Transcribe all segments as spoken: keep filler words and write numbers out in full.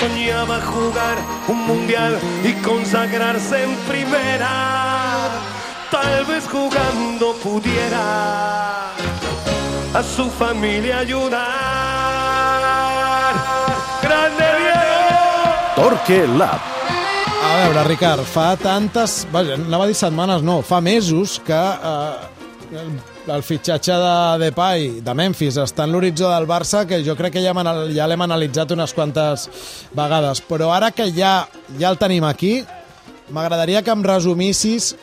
soñaba jugar un mundial y consagrarse en primera. Tal vez jugando pudiera a su familia ayudar. ¡Grande Diego! Torque Lab. A veure, Ricard, fa tantes... Vaja, anava a dir setmanes, no, fa mesos que eh, el fitxatge de Depay, de Memphis, està en l'horitzó del Barça, que jo crec que ja, ja l'hem analitzat unes quantes vegades. Però ara que ja, ja el tenim aquí, m'agradaria que em resumissis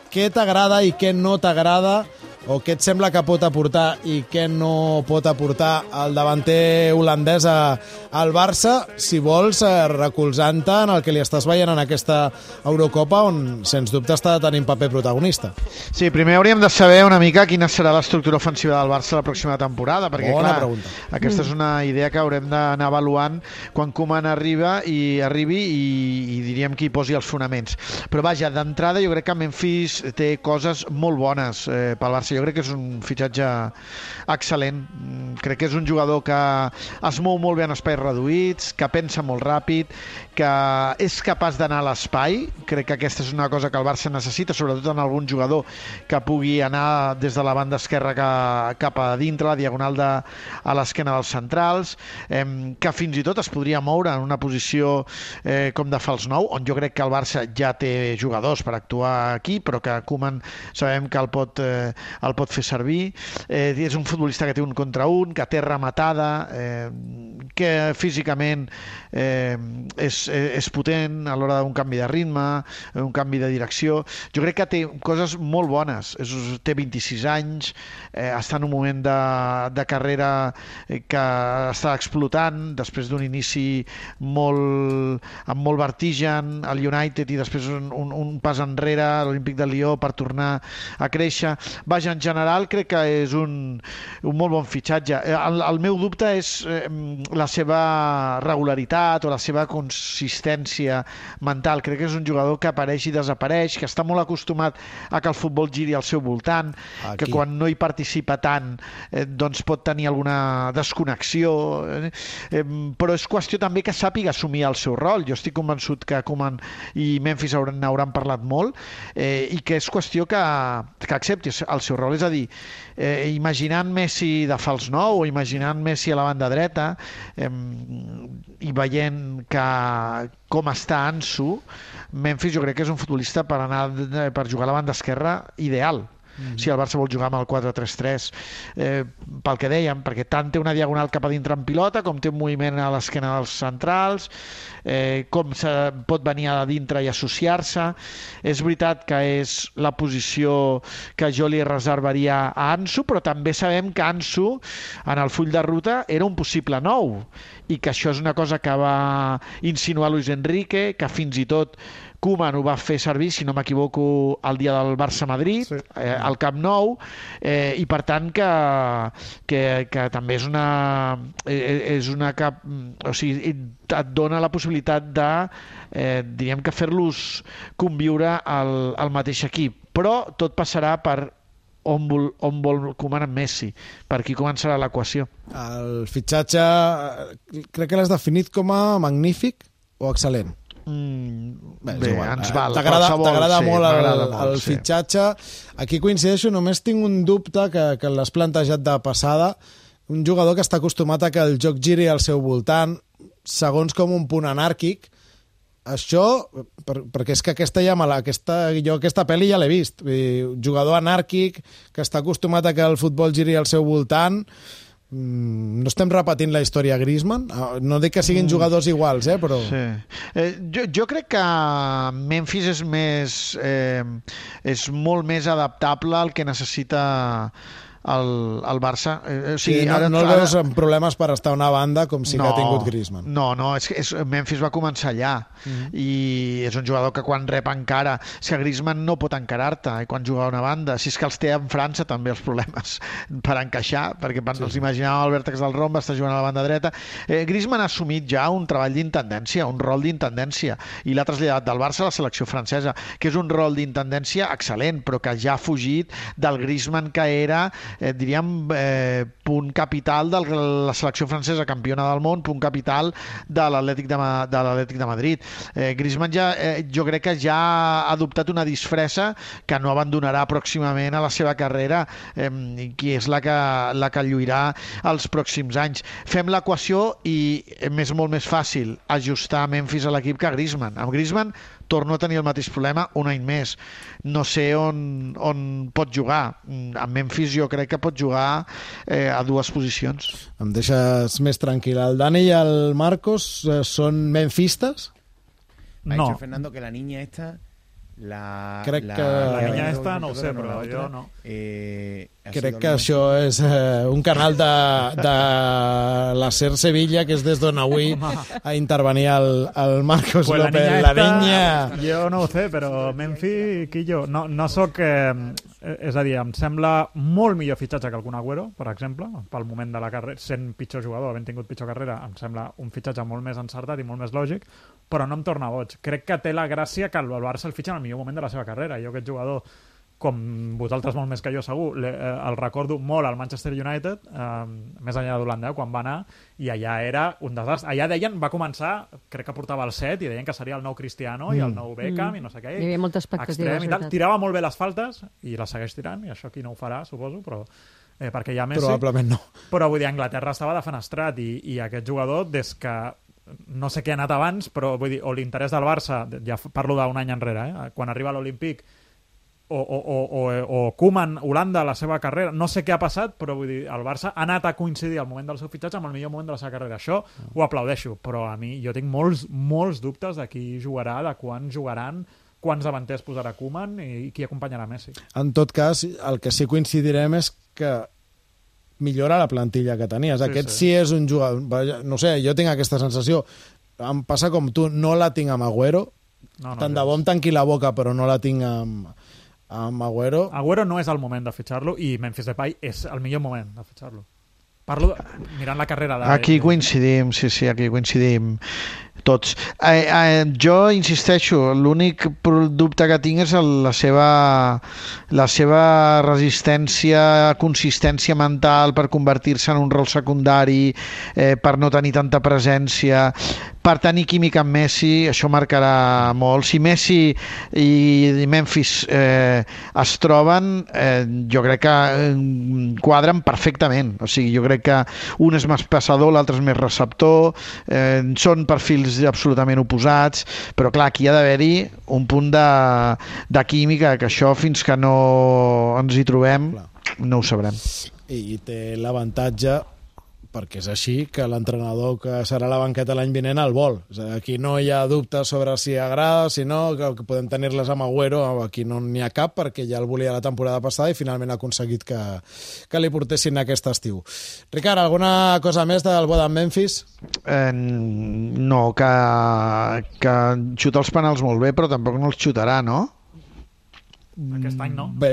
què t'agrada i què no t'agrada, o què et sembla que pot aportar i què no pot aportar el davanter holandès a, al Barça, si vols, eh, recolzant-te en el que li estàs veient en aquesta Eurocopa, on, sens dubte, està tenint paper protagonista. Sí, primer hauríem de saber una mica quina serà l'estructura ofensiva del Barça la pròxima temporada, perquè, Bona clar, pregunta. aquesta és una idea que haurem d'anar avaluant quan Koeman arriba i arribi i, i diríem que hi posi els fonaments. Però, vaja, d'entrada jo crec que Memphis té coses molt bones eh, pel Barça. Jo crec que és un fitxatge excel·lent. Crec que és un jugador que es mou molt bé en espais reduïts, que pensa molt ràpid, que és capaç d'anar a l'espai. Crec que aquesta és una cosa que el Barça necessita, sobretot en algun jugador que pugui anar des de la banda esquerra cap a dintre, la diagonal de, a l'esquena dels centrals, eh, que fins i tot es podria moure en una posició eh, com de fals nou, on jo crec que el Barça ja té jugadors per actuar aquí, però que Koeman sabem que el pot, eh, el pot fer servir. Eh, és un futbolista que té un contra un, que té rematada, eh, que físicament eh, és, és potent a l'hora d'un canvi de ritme, un canvi de direcció. Jo crec que té coses molt bones. És, té vint-i-sis anys, eh, està en un moment de, de carrera que està explotant després d'un inici molt, amb molt vertigen al United i després un, un, un pas enrere a l'Olímpic de Lió per tornar a créixer. Vaja, en general crec que és un, un molt bon fitxatge. El, el meu dubte és eh, la seva regularitat o la seva consistència mental. Crec que és un jugador que apareix i desapareix, que està molt acostumat a que el futbol giri al seu voltant, Aquí. que quan no hi participa tant eh, doncs pot tenir alguna desconnexió, eh, eh, però és qüestió també que sàpiga assumir el seu rol. Jo estic convençut que Koeman i Memphis hauran, hauran parlat molt eh, i que és qüestió que, que accepti el seu rol. És a dir, eh, imaginant Messi de fals nou o imaginant Messi a la banda dreta eh, i veient que com està Ansu, Memphis jo crec que és un futbolista per anar per jugar a la banda esquerra ideal. Mm-hmm. Si el Barça vol jugar amb el quatre tres tres, eh, pel que dèiem, perquè tant té una diagonal cap a dintre en pilota, com té un moviment a l'esquena dels centrals, eh, com se pot venir a dintre i associar-se. És veritat que és la posició que jo li reservaria a Ansu, però també sabem que Ansu, en el full de ruta, era un possible nou, i que això és una cosa que va insinuar Luis Enrique, que fins i tot Koeman ho va fer servir, si no m'equivoco, el dia del Barça-Madrid, sí. eh, al Camp Nou, eh, i per tant que, que, que també és una, eh, és una cap, o sigui, et dona la possibilitat de, eh, diríem que fer-los conviure al, al mateix equip. Però tot passarà per on vol, on vol Koeman amb Messi. Per aquí començarà l'equació. El fitxatge crec que l'has definit com a magnífic o excel·lent? Mm, bé, bé ens val. T'agrada sí, molt el, molt, el sí. fitxatge. Aquí coincideixo, només tinc un dubte que, que l'has plantejat de passada. Un jugador que està acostumat a que el joc giri al seu voltant, segons com un punt anàrquic. Això, per, perquè és que aquesta ja mala, aquesta, jo aquesta pel·li ja l'he vist. Un jugador anàrquic que està acostumat a que el futbol giri al seu voltant. No estem repetint la història Griezmann? No dic que siguin jugadors iguals, eh, però... Sí. Eh, jo, jo crec que Memphis és més eh, és molt més adaptable al que necessita el, el Barça. Eh, o sigui, sí, no, ara, no el ara... veus amb problemes per estar a una banda com sí no, que ha tingut Griezmann. No, no, és que és, Memphis va començar allà mm-hmm. i és un jugador que quan rep encara, és que Griezmann no pot encarar-te eh, quan juga a una banda, si és que els té en França també els problemes per encaixar, perquè sí. els imaginàvem al vèrtex del rom, està jugant a la banda dreta. Eh, Griezmann ha assumit ja un treball d'intendència, un rol d'intendència, i l'ha traslladat del Barça a la selecció francesa, que és un rol d'intendència excel·lent, però que ja ha fugit del Griezmann que era eh, diríem, eh, punt capital de la selecció francesa campiona del món, punt capital de l'Atlètic de, Ma de l'Atlètic de Madrid. Eh, Griezmann ja, eh, jo crec que ja ha adoptat una disfressa que no abandonarà pròximament a la seva carrera, eh, qui és la que, la que lluirà els pròxims anys. Fem l'equació i és molt més fàcil ajustar Memphis a l'equip que a Griezmann. Amb Griezmann torno a tenir el mateix problema un any més. No sé on, on pot jugar. Amb Memphis jo crec que pot jugar eh, a dues posicions. Em deixes més tranquil. El Dani i el Marcos eh, són memphistes? Ha no. dicho Fernando que la niña esta... La, crec la, que... La la niña la esta no ho sé, no, però la jo otra, no. Eh, ha Crec sido que lo això és eh, un canal de, de la SER Sevilla, que és des d'on avui a intervenir el, el Marcos Pues la López. niña La esta, niña... Jo no ho sé, però Memphis, Quillo, no, no sóc... Eh, és a dir, em sembla molt millor fitxatge que el Kun Agüero, per exemple, pel moment de la carrera, sent pitjor jugador, havent tingut pitjor carrera, em sembla un fitxatge molt més encertat i molt més lògic, però no em torna boig. Crec que té la gràcia que el Barça el fitxa en el millor moment de la seva carrera. Jo aquest jugador, com vosaltres molt més que jo segur, le, eh, el recordo molt al Manchester United, eh, més enllà d'Holanda, eh, quan va anar, i allà era un desastre. Allà deien, va començar, crec que portava el set, i deien que seria el nou Cristiano i el nou Beckham Mm. i no sé què. Hi havia moltes expectatives, Extrem i tal. veritat. Tirava molt bé les faltes, i les segueix tirant, i això aquí no ho farà, suposo, però eh, perquè hi ha Messi. Probablement no. Però vull dir, Anglaterra estava defenestrat, i, i aquest jugador, des que no sé què ha anat abans, però vull dir, o l'interès del Barça, ja parlo d'un any enrere, eh? Quan arriba a l'Olímpic, o, o, o, o, o Koeman, Holanda, la seva carrera, no sé què ha passat, però vull dir, el Barça ha anat a coincidir al moment del seu fitxatge amb el millor moment de la seva carrera. Això ho aplaudeixo, però a mi jo tinc molts, molts dubtes de qui jugarà, de quan jugaran, quants davanters posarà Koeman i qui acompanyarà Messi. En tot cas, el que sí coincidirem és que millora la plantilla que tenies. Sí, Aquest sí. sí és un jugador... No sé, jo tinc aquesta sensació. Em passa com tu, no la tinc amb Agüero. No, no, Tant de bo em tanqui la boca, però no la tinc amb, amb Agüero. Agüero no és el moment de fitxar-lo i Memphis Depay és el millor moment de fitxar-lo. Parlo mirant la carrera de... Aquí coincidim, sí, sí, aquí coincidim tots. Eh, eh, jo insisteixo, l'únic dubte que tinc és el, la seva la seva resistència, consistència mental per convertir-se en un rol secundari, eh, per no tenir tanta presència, per tenir química amb Messi, això marcarà molt. Si Messi i Memphis eh, es troben, eh, jo crec que eh, quadren perfectament. O sigui, jo crec que un és més passador, l'altre és més receptor, eh, són perfils absolutament oposats, però clar, aquí ha d'haver-hi un punt de, de química, que això fins que no ens hi trobem Clar. no ho sabrem. I té l'avantatge, perquè és així, que l'entrenador que serà a la banqueta l'any vinent el vol. O sigui, aquí no hi ha dubtes sobre si agrada, si no, que, que podem tenir-les amb Agüero, aquí no n'hi ha cap, perquè ja el volia la temporada passada i finalment ha aconseguit que, que li portessin aquest estiu. Ricard, alguna cosa més del bo d'en Memphis? Eh, no, que, que xuta els penals molt bé, però tampoc no els xutarà, no? Aquest any no. Bé,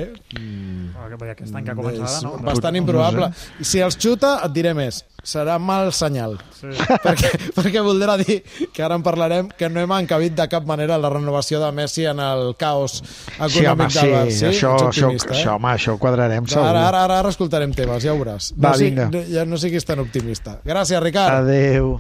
Aquest any que comença ara, no? és bastant improbable. I si els xuta, et diré més, serà mal senyal. Sí. perquè, perquè voldrà dir, que ara en parlarem, que no hem encabit de cap manera la renovació de Messi en el caos Sí, home, econòmic sí, del Barça. això, Ets això, optimista, això, eh? home, això ho quadrarem segur. Ara, ara, ara, ara escoltarem temes, ja ho veuràs. Va, no, vinga. Ja no siguis tan optimista. Gràcies, Ricard. Adéu.